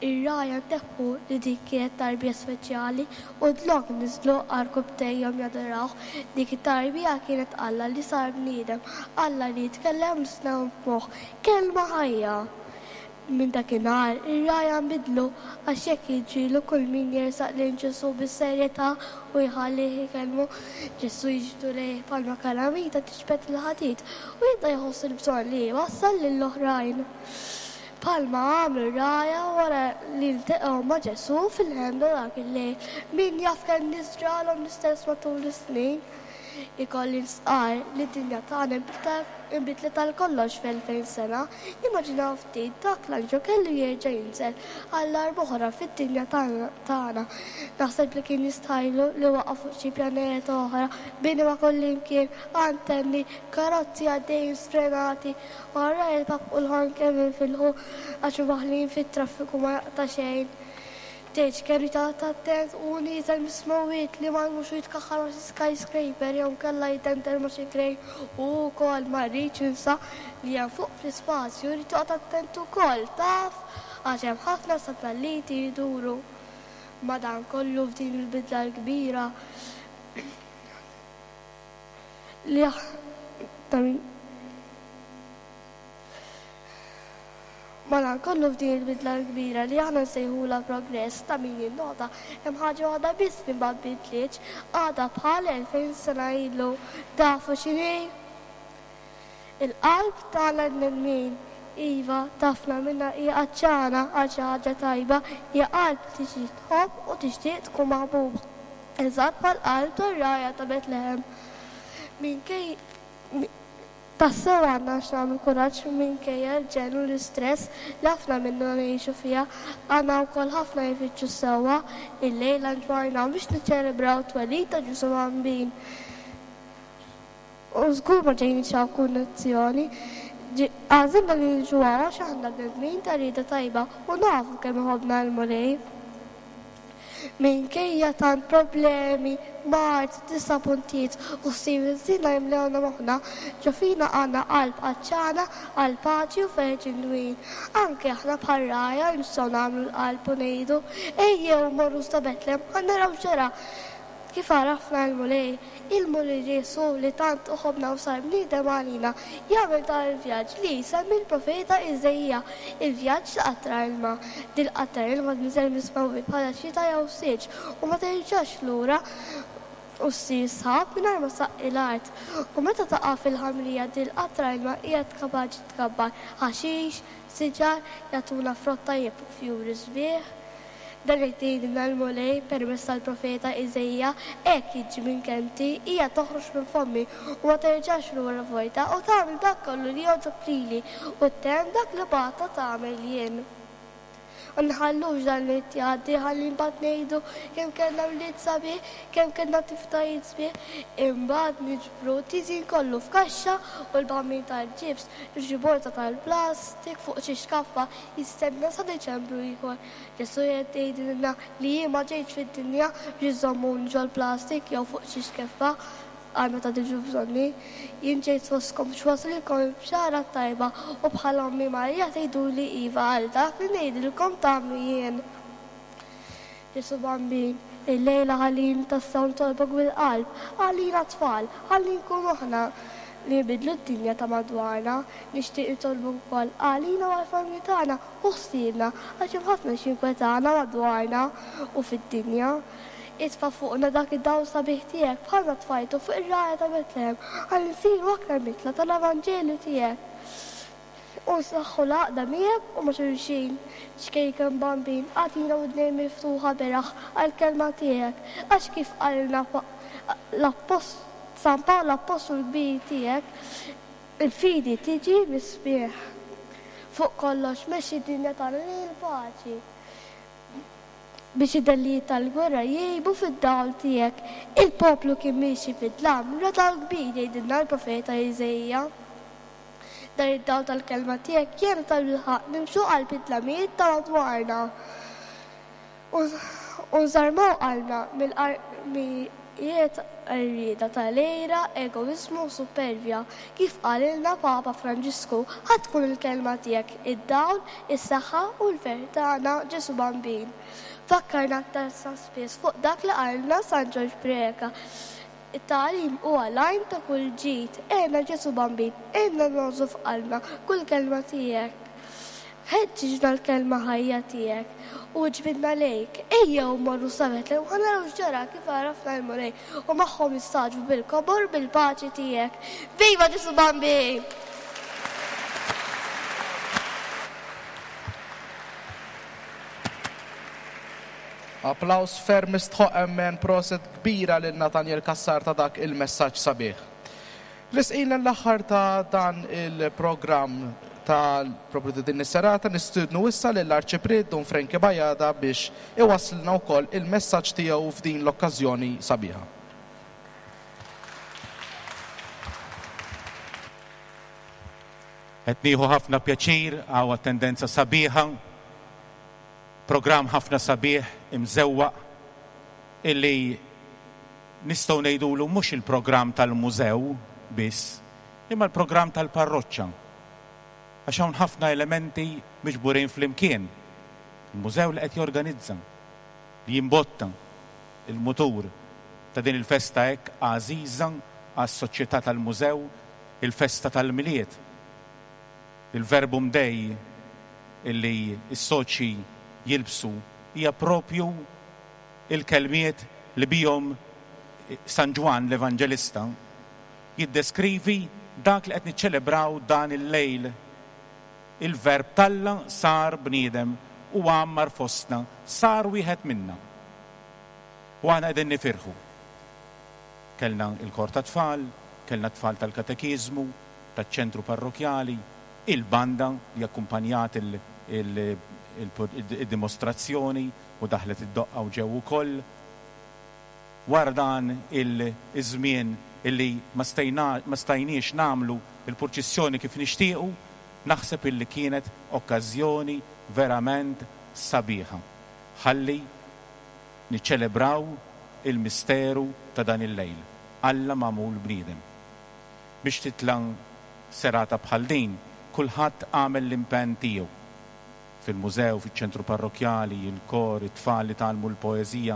Ir-rgħajja ntebħu li dik kienet tarbija speċjali u dlonk niżlu għarkupptejhom jadorawh. Dik it-tarbija kienet Alla li sar bniedem, Alla li jitkellem l-isna f'moħħ, kelma ħajja. Minn dakinhar ir-rgħajja nbidlu għax hekk jiġrilu kull min jersaq lejn Ġesù bis-serjetà u jħallih ikellmu. Ġesù jiġbdu lejh bħalma kalamita tiġbed il-ħadid u jibda jħoss il-bżonn li jwassal lill-oħrajn. Bħalma għamlu r-rgħajja wara li ltaqgħu ma' Ġesù fil-ħemda dak il-lejl. Min jaf kemm nies ġralhom l-istess matul is-snin. Ikolli nstqarr li d-dinja tagħna nbidlet għal kollox f'elfejn sena. Immaġinaw ftit dak l-anġlu kellu jerġa' jinżel għal darb'oħra fid-dinja tagħna. Naħseb li kien jistħajlu li waqa' fuq xi pjaneta oħra, bini ma' kullimkien, antenni, karozzi għaddejjin sfrenati, wara il-pap u l-ħon kemm infilħu għax imwaħħlin fit-traffiku ma jaqta' xejn. Tgħidx kemm irid joqgħod attent u nieżel mis-smewwiet li ma jmurx u jitkaħħal ma' xi skyscraper jew inkella jidendel ma' xi crane u wkoll ma rridx ninsa li hemm fuq fl-ispazju jrid joqgħod attent ukoll taf għax hemm ħafna satelliti jduru. Madankollu f'din il-bidla l-kbira li Madankollu f'din il-bidla l-kbira li aħna nsejħulha progress ta' min jinnota hemm ħaġa waħda biss li ma nbidlitx, għadha bħal elfejn sena ilu. Tafu x'inhi? Il-qalb tagħna l-bnedmin. Iva, tafna minnha hija għatxana għal xi ħaġa tajba, hija qalb li tixtieq tħobb u tixtieq tkun maħbuba. Eżatt bħall-qalb tar-rgħajja ta' Betlehem. Minkej Tassew għandna x'nagħmlu kuraġġ minkejja l-ġenn u l-istress li ħafna minna ngħixu fiha. Għandna wkoll ħafna jfittxu s-sewwa. Illejla nġbarna biex niċċelebraw t-twelid ta' Ġesù Bambin. U żgur ma ġejniex hawn kundizzjoni. Għażilna li niġu hawn għax aħna bnedmin ta' rieda tajba u nafu kemm iħobbna l-Mulej. Minkejja tant problemi, mard, diżappuntijiet u ħsieb ħżiena jimlewna moħħna, ġo fina għandna qalb għatxana għall-paċi u ferħ ġenwin. Anke aħna bħar-rgħajja nistgħu nagħmlu l-qalb u ngħidu, Ejjew mmorru sa Betlem ħa naraw x'ġara. Kif għarafna l-Mulej, il-Mulej Ġesù li tant iħobbna u sar bniedem għalina, jagħmel dan il-vjaġġ li jsemmi l-profeta Iżaija, il-vjaġġ ta' qatra ilma. Dil-qatra ilma tinżel mis-smewwiet bħala xita jew silġ u ma terġax lura u ssir sħab mingħajr ma ssaqqi l-art. U meta taqa' fil-ħamrija dil-qatra ilma hija kapaċi tkabbar ħaxix, siġar, jagħtuna frott tajjeb u fjuri sbieħ. Dan qed jgħidilna l-Mulej permezz tal-profeta Iżaija, Hekk jiġri minn kelmti, hija toħroġ minn fommi u ma terġax lura vojta, u tagħmel dak kollu li jogħġob lili, u ttemm dak li bgħattha tagħmel jien. U nħallux dan l-għid jgħaddi ħalli mbagħad ngħidu kemm kellna wlied sabiħ, kemm kellna tiftajiet sbieħ, imbagħad niġbru t-tiżin kollu f'kaxxa u l-bambin tal-ġibs f'xi borza tal-plastik fuq xi xkaffa jistenna sa Diċembru ieħor. Ġesù qiegħed jgħidilna li jien ma ġejtx fid-dinja biex iżommuni ġol-plastik jew fuq xi xkeffa għal meta tiġu bżonni. Jien ġejt fostkom biex waslilkom il-bxara t-tajba u bħal ommi Marija tgħiduli iva għal dak li ngħidilkom tagħmlu jien. Ġesù Bambin, illejla ħallini tassew nitolbok bil-qalb għalina t-tfal, ħalli nkunu aħna li nbiddlu d-dinja ta' madwarna. Nixtieq nitolbok ukoll għalina u għall-familji tagħna u ħsiebna għax hemm ħafna x'jinkwetana madwarna u fid-dinja. Itfa' fuqna dak id-dawl sabiħ tiegħek bħalma tfajtu fuq ir-rgħajja ta' Betlehem ħalli nsiru aktar mitla tal-Evanġelju tiegħek u nsaħħu l-għaqda miegħek u ma' xulxin. Ċkejken Bambin, agħtina widnejn miftuħa beraħ għall-kelma tiegħek, għax kif qalilna l-Appostlu San Pawl l-Appostlu l-kbir tiegħek, il-fidi tiġi mis-smigħ. Fuq kollox mexxi d-dinja tagħna lejn il-paċi, biex id-dellijiet tal-gwerra jgħibu fid-dawl tiegħek. Il-poplu kien miexi fid-dlam, ra dawl kbir, jgħidilna l-profeta Iżaija. Dan id-dawl tal-kelma tiegħek jgħinna tal-bilħaqq nimxu qalb id-dlamijiet ta' madwarna u nżarmaw qalbna mill-qarmijiet għarrieda tal-għira, egoiżmu u supervja. Kif qalilna Papa Franġisku, ħa tkun il-kelma tiegħek id-dawl, is-saħħa u l-ferħ tagħna, Ġesù Bambin. Fakkarna aktar sa spiss fuq dak li qalilna San Ġorġ Preca. It-tagħlim huwa l-għajn ta' kull ġid. Għinna Ġesù Bambin, għinna ngħożżu f'qalbna kull kelma tiegħek. Ħeġġiġna l-kelma ħajja tiegħek u ġbidna lejk. Ejjew morru sa Betlem ħa naraw x'ġara kif għarafna l-Mulej u magħhom istagħġbu bil-kobor bil-paċi tiegħek. Viva Ġesu Bambin! Applaus ferm mistħoq emmen proset kbira lil Nathaniel Cassar ta' dak il-messaġġ sabiħ. Lisqina l-aħħar ta' dan il-programm ta' propju din is-serata nistudnu issa lill-Arċipriet Dun Frankie Bajada biex iwasslilna wkoll il-messaġġ tiegħu f'din l-okkażjoni sabiħa. Qed nieħu ħafna pjaċir għaw attendenza sabiħa, programm ħafna sabiħ imżewwaq illi nistgħu ngħidulu mhux il-programm tal-mużew biss, imma l-programm tal-parroċċa. Għax hawn ħafna elementi miġburin flimkien. Il-mużew li qed jorganizza, li jimbotta il-mutur ta' din il-festa hekk għażiża għas-soċjetà tal-mużew, il-festa tal-Milied. Il-verbum Dei illi s-soċi jilbsu hija propju il-kelmiet li bihom San Ġwann l-Evanġelista jiddeskrivi dak li qed niċċelebraw dan il-lejl. Il-verb t'Alla sar bniedem u għammar fostna, sar wieħed minna. U aħna qegħdin nifirħu. Kellna il-kor ta' tfal, kellna tfal tal-katekiżmu, taċ-ċentru parrokjali, il-banda li akkumpanjat il-dimostrazzjoni u daħlet id-doqqa u ġew ukoll. Wara dan il-żmien illi ma stajniex nagħmlu il-purċissjoni kif nixtiequ, naħseb illi kienet okkażjoni verament sabiħa. Ħalli niċċelebraw il-misteru ta' dan il-lejl. Alla magħmul bniedem. Biex titla' serata bħal din, kulħadd għamel l-impenn tiegħu. Fil-mużew, fiċ-ċentru parrokjali, il-kor, it-tfal li tgħallmu l-poeżija,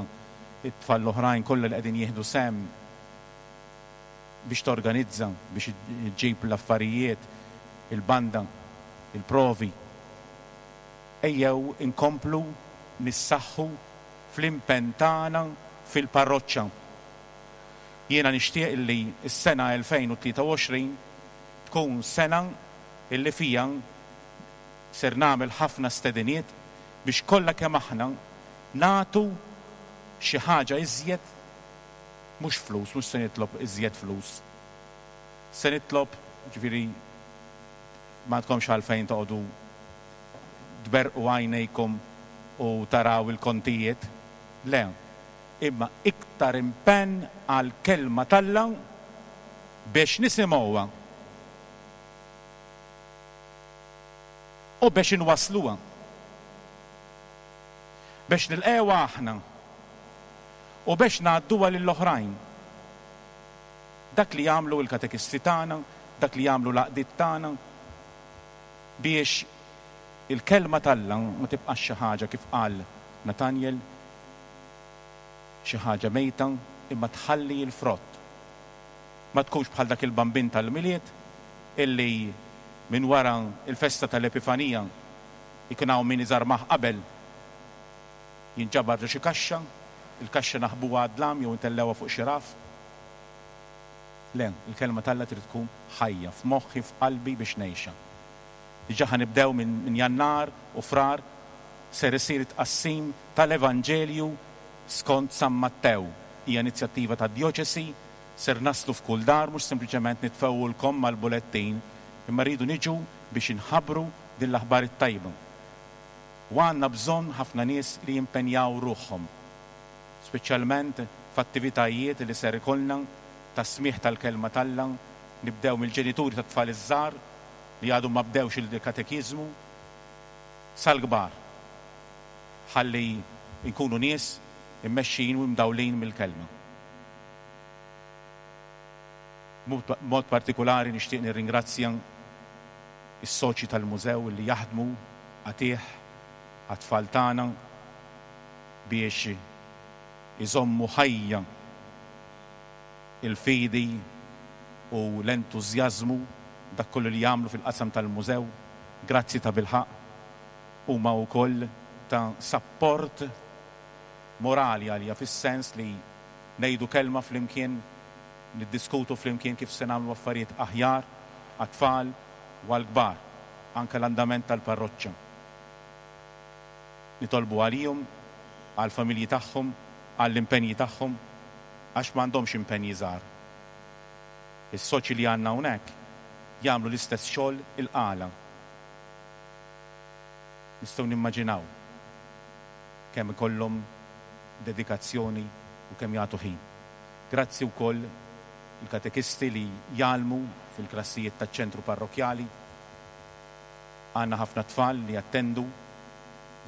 it-tfal l-oħrajn kollha li qegħdin jieħdu sehem biex torganizza, biex iġġib l-affarijiet, il-banda, il-provi. Ejjew inkomplu nissaħħu fl-impenn tagħna fil-parroċċa. Jiena nixtieq illi s-sena elfejn u tlieta u għoxrin tkun sena illi fija ser nagħmel ħafna stediniet biex kollha kemm aħna nagħtu xi ħaġa iżjed, mhux flus, mhux se nitlob iżjed flus. Se nitlob, ġifieri ma tkomx għalfejn toqgħodu tberqu għajnejkom u taraw il-kontijiet, le, imma iktar impenn għal kelma t'Alla biex nisimgħuha u biex inwasluha, biex nilqewha aħna u biex ngħadduha lill-oħrajn. Dak li jagħmlu l-katekisti tagħna, dak li jagħmlu l-għaqdiet tagħna biex il-kelma t'Alla ma tibqax xi ħaġa kif qal Nathaniel, xi ħaġa mejta, imma tħalli l-frott. Ma tkunx bħal dak il-bambin tal-Milied illi minn wara il-festa tal-Epifanija ikun hawn min iżarmah qabel jinġabar ġo xi kaxxa, il-kaxxa naħbuha għad-dlam jew intellewha fuq xi raf. Le, il-kelma t'Alla trid tkun ħajja f'moħħi, f'qalbi biex ngħixha. Diġà ħanibdew minn Jannar u Frar ser isir it-tqassim tal-Evanġelju skont San Mattew. Hija inizjattiva tad-djoċesi, ser naslu f'kull dar, mhux sempliċement nitfewwulkom mal-bulettin, imma rridu niġu biex inħabbru din l-aħbar it-tajba. U għandna bżonn ħafna nies li jimpenjaw ruħhom, speċjalment f'attivitajiet li ser ikollna ta' smigħ tal-kelma t'Alla, nibdew mill-ġenituri tat-tfal iż-żgħar li għadhom ma bdewx il-katekiżmu sal-kbar, ħalli nkunu nies immexxin u mdawlin mill-kelma. B'mod partikolari nixtieq nirringrazzja is-soċji tal-mużew li jaħdmu għatih għat-tfal tagħna biex iżommu ħajja il-fidi u l-entużjażmu dak kollu li jagħmlu fil-qasam tal-mużew. Grazzi ta' bilħaq. Huma wkoll ta' sapport morali għalija fis-sens li ngħidu kelma flimkien, niddiskutu flimkien kif se nagħmlu affarijiet aħjar għat-tfal u għall-kbar, anke l-andament tal-parroċċa. Nitolbu għalihom, għall-familji tagħhom, għall-impenji tagħhom, għax m'għandhomx impenji żgħar. Is-soċji li għandna hawnhekk jagħmlu l-istess xogħol il-Qala. Nistgħu nimmaġinaw kemm ikollhom dedikazzjoni u kemm jagħtu ħin. Grazzi wkoll il-katekisti li jgħallmu fil-klassijiet taċ-ċentru parrokkjali. Għandna ħafna tfal li jattendu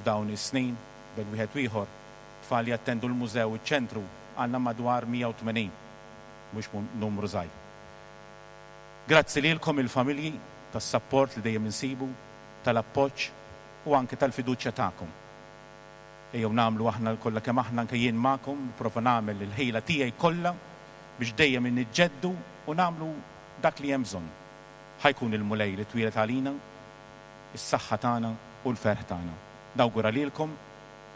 f'dawn is-snin bejn wieħed u ieħor, tfal li jattendu l-mużew iċ-ċentru għandna madwar mija u tmenin, mhux numru żgħir. Grazzi lilkom il-familji tas-sapport li dejjem insibu, tal-appoġġ u anke tal-fiduċja tagħkom. Ejjew nagħmlu aħna kollha kemm aħna anke jien magħkom, nipprova nagħmel il-ħila tiegħi kollha biex dejjem niġġeddu u nagħmlu dak li hemm bżonn. Ħa jkun il-Mulej li twieled għalina, is-saħħa tagħna u l-ferħ tagħna. Nawgura lilkom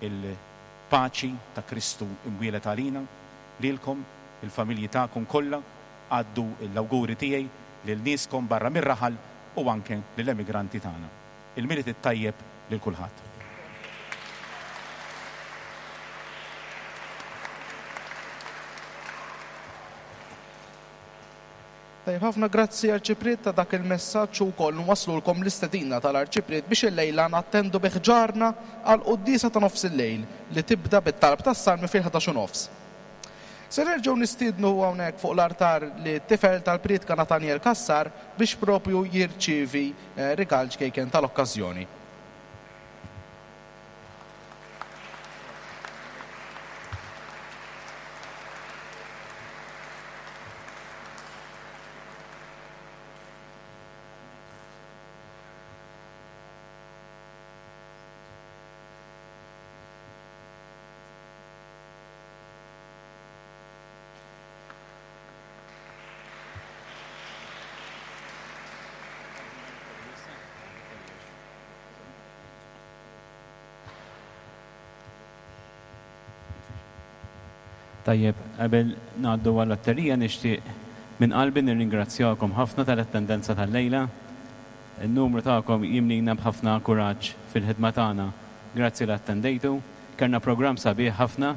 il-paċi ta' Kristu imwieled għalina, lilkom, il-familji tagħkom kollha, għaddu l-awguri tiegħi lil nieskom barra mir-raħal u anke lill-emigranti tagħna. Il-Milied it-tajjeb lil kulħadd. Tajjeb ħafna grazzi Arċipriet ta' dak il-messaġġ u wkoll nwaslulkom l-istedina tal-Arċipriet biex illejla nattendu bi ħġarna għal quddiesa ta' nofs il-lejl li tibda bit-talb tas-salmi fil-ħdax u nofs. Se nerġgħu nistiednu hawnhekk fuq l-artar li t-tifel tal-prietka Nathaniel Cassar biex propju jirċievi rigal ċkejken tal-okkażjoni. Tajjeb, qabel ngħaddu għall-lotterija nixtieq minn qalbi nirringrazzjakom ħafna tal-attendenza tal-lejla. Il-numru tagħkom jimlina b'ħafna kuraġġ fil-ħidma tagħna. Grazzi li attendejtu. Kellna programm sabiħ ħafna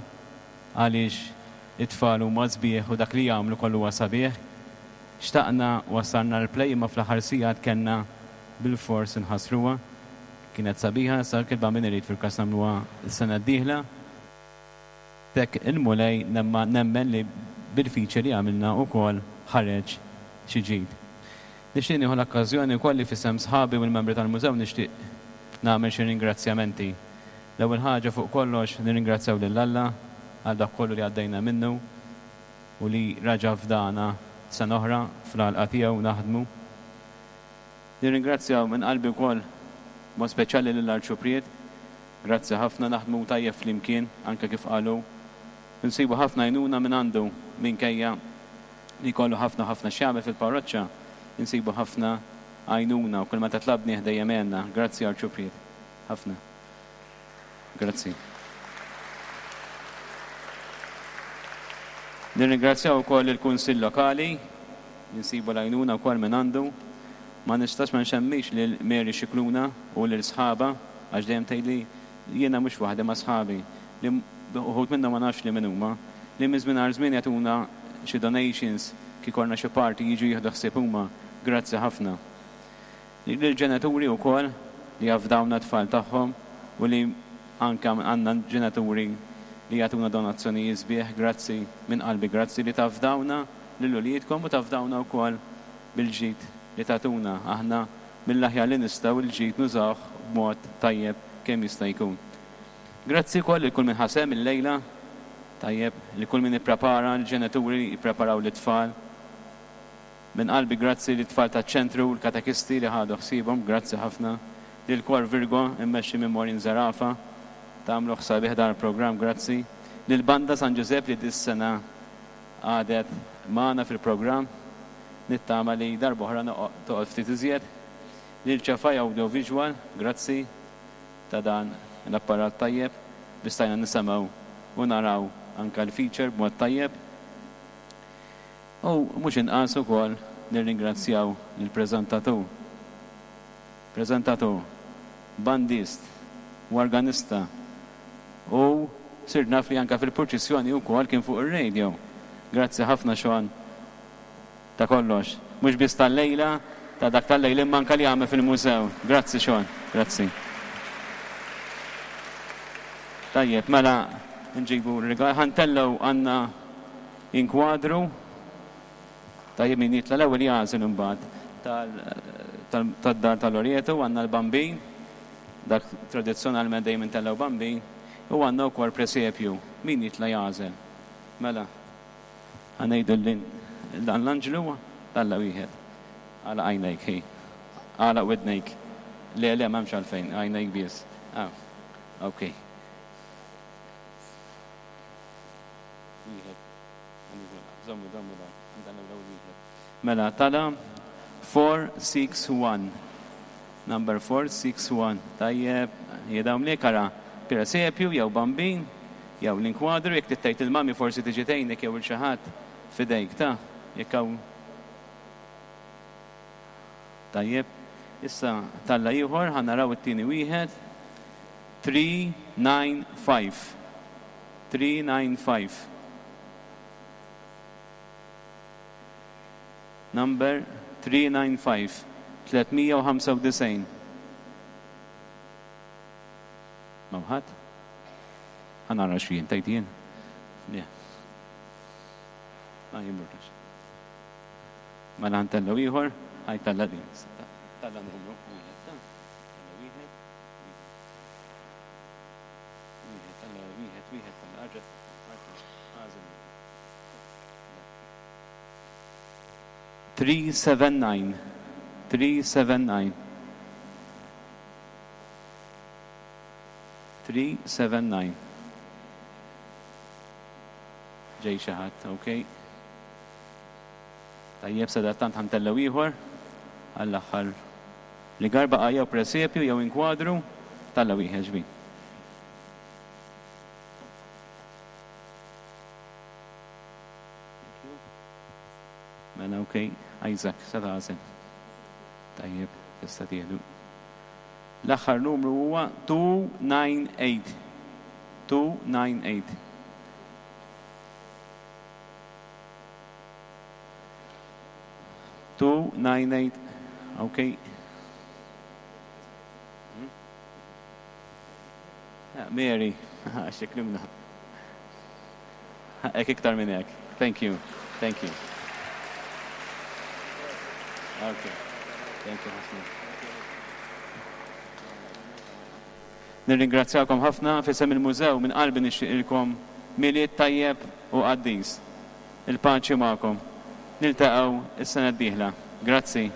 għaliex it-tfal huma sbieħ u dak li jagħmlu kollu huwa sabiħ. Xtaqna wassalna l-play imma fl-aħħar sigħat kellna bil-fors inħassruha. Kienet sabiħa, sa kilba min irid fil-każ nagħmluha s-sena d-dieħla. Tek il-Mulej nemmen li bil-feature li għamilna wkoll ħareġ xi ġid. Nixtieq nieħu l-okkażjoni wkoll li f'isem sħabi u l-membri tal-mużew nixtieq nagħmel xi ringrazzjamenti. L-ewwel ħaġa fuq kollox nirringrazzjaw lil Alla għal dak kollu li għaddejna minnu u li raġa' fdana sena oħra fl-għalqa tiegħu naħdmu. Nirringrazzjaw minn qalbi wkoll mod speċjali lill-Arċupriet. Grazzi ħafna, naħdmu tajjeb flimkien, anke kif qalu. Nsibu ħafna għajnuna minn għandu minkejja li jkollu ħafna ħafna x'jagħmel fil-parroċċa, insibu ħafna għajnuna u kull meta tlabnih dejjem għenna. Grazzi Arċupriet. Ħafna. Grazzi. Nirringrazzjaw ukoll il-Kunsill Lokali, insibu l-għajnuna wkoll minn għandu. Ma nistax ma nxemmix lil Mary Scicluna u lil sħaba, għax dejjem tgħidli jiena mhux waħdi ma' sħabi, li uħud minnhom ma nafx li min huma, li minn żmien għal żmien jagħtuna xi donations kif ikollna xi party jiġu jieħdu ħsieb huma. Grazzi ħafna. Lill-ġenituri wkoll li jafdawna t-tfal tagħhom u li anke għandna ġenituri li jagħtuna donazzjonijiet sbieħ, grazzi minn qalbi, grazzi li tafdawna lil uliedkom u tafdawna wkoll bil-ġid li tagħtuna. Aħna mill-aħjar li nistgħu il-ġid nużawh b'mod tajjeb kemm jista' jkun. Grazzi wkoll lil kull min ħasem illejla, tajjeb, li kull min ipprepara, l-ġenituri jippreparaw lit-tfal. Minn qalbi grazzi lit-tfal taċ-ċentru, l-katekisti li ħadu ħsiebhom, grazzi ħafna. Lil Kor Virgo immexxi minn Maureen Zerafa, tagħmlu ħsabiħ dan il-programm, grazzi. Lil Banda San Giuseppe li dis-sena għadet magħna fil-programm, nittama li darb'oħra toqgħod ftit iżjed. Lil Ċafaj Audiovisual, grazzi ta' dan l-apparat tajjeb biex stajna nisimgħu u naraw anka l-feature b'mod tajjeb. U mhux inqas ukoll nirringrazzjaw lill-preżentatur. Preżentatur, bandist u organista u sirt naf li anka fil-purċissjoni wkoll kien fuq ir-radio. Grazzi ħafna Sean ta' kollox. Mhux biss tal-lejla, ta' dak tal-lejla imma anka li għamel fil-mużew. Grazzi Sean, grazzi. Tajjeb, mela nġibu r-rigal. Ħa ntellgħu għandna inkwadru. Tajjeb min jitla' l-ewwel jagħżel imbagħad tad-dar tal-Loreto għandna l-bambin, dak tradizzjonalment dejjem intellgħu bambin, u għandna wkoll presepju. Min jitla' jagħżel? Mela, ħa ngħidu dan l-anġlu talla' wieħed. Għalaq għajnejk, hi. Għalaq widnejk. Le, le, m'hemmx għalfejn, għajnejk biss. Ah, ok. Wieħed. Żommu, żommu dan. Għandna l-ewwel wieħed. Mela, tala four six one. Number four six one. Tajjeb, jedawm li kara presepju jew bambin jew l-inkwadru, jekk tittajt il-mami forsi tiġi tgħinek jew il xi ħadd f'idejk ta' jekk hawn. Tajjeb, issa talla ieħor ħa naraw it-tieni wieħed. Three nine five. Three nine five. Number three nine five. Tlietmija u ħamsa u disgħin. Mawħat? Ħa nara x'jien, tgħid jien? Le. Ma jimburtax. Mela ntellgħu ieħor, ħaj talla din. Talla numru wieħed, ta' talla wieħed, wieħed, talla wieħed, wieħed, talla arġa', arġa', għażel. Three seven nine. Three seven nine. Three seven nine. Ġej xi ħadd, ok. Tajjeb, sadattant ħantellgħu ieħor għall-aħħar li garba baqa' jew presepju jew inkwadru talla wieħed ġbin. Mela, ok, Isaac, sa tagħżel. Tajjeb, tista' tieħdu. L-aħħar numru huwa two nine eight. Two nine eight. Two nine eight. Okay. Mary, xeklimna. Hekk iktar minn hekk. Thank you. Thank you. Okay. Thank you ħafna. Nirringrazzjakom ħafna f'isem il-mużew minn qalbi nixtieqilkom Milied tajjeb u qaddis. Il-paċi magħkom. Niltaqgħu is-sena d-dieħla. Grazzi.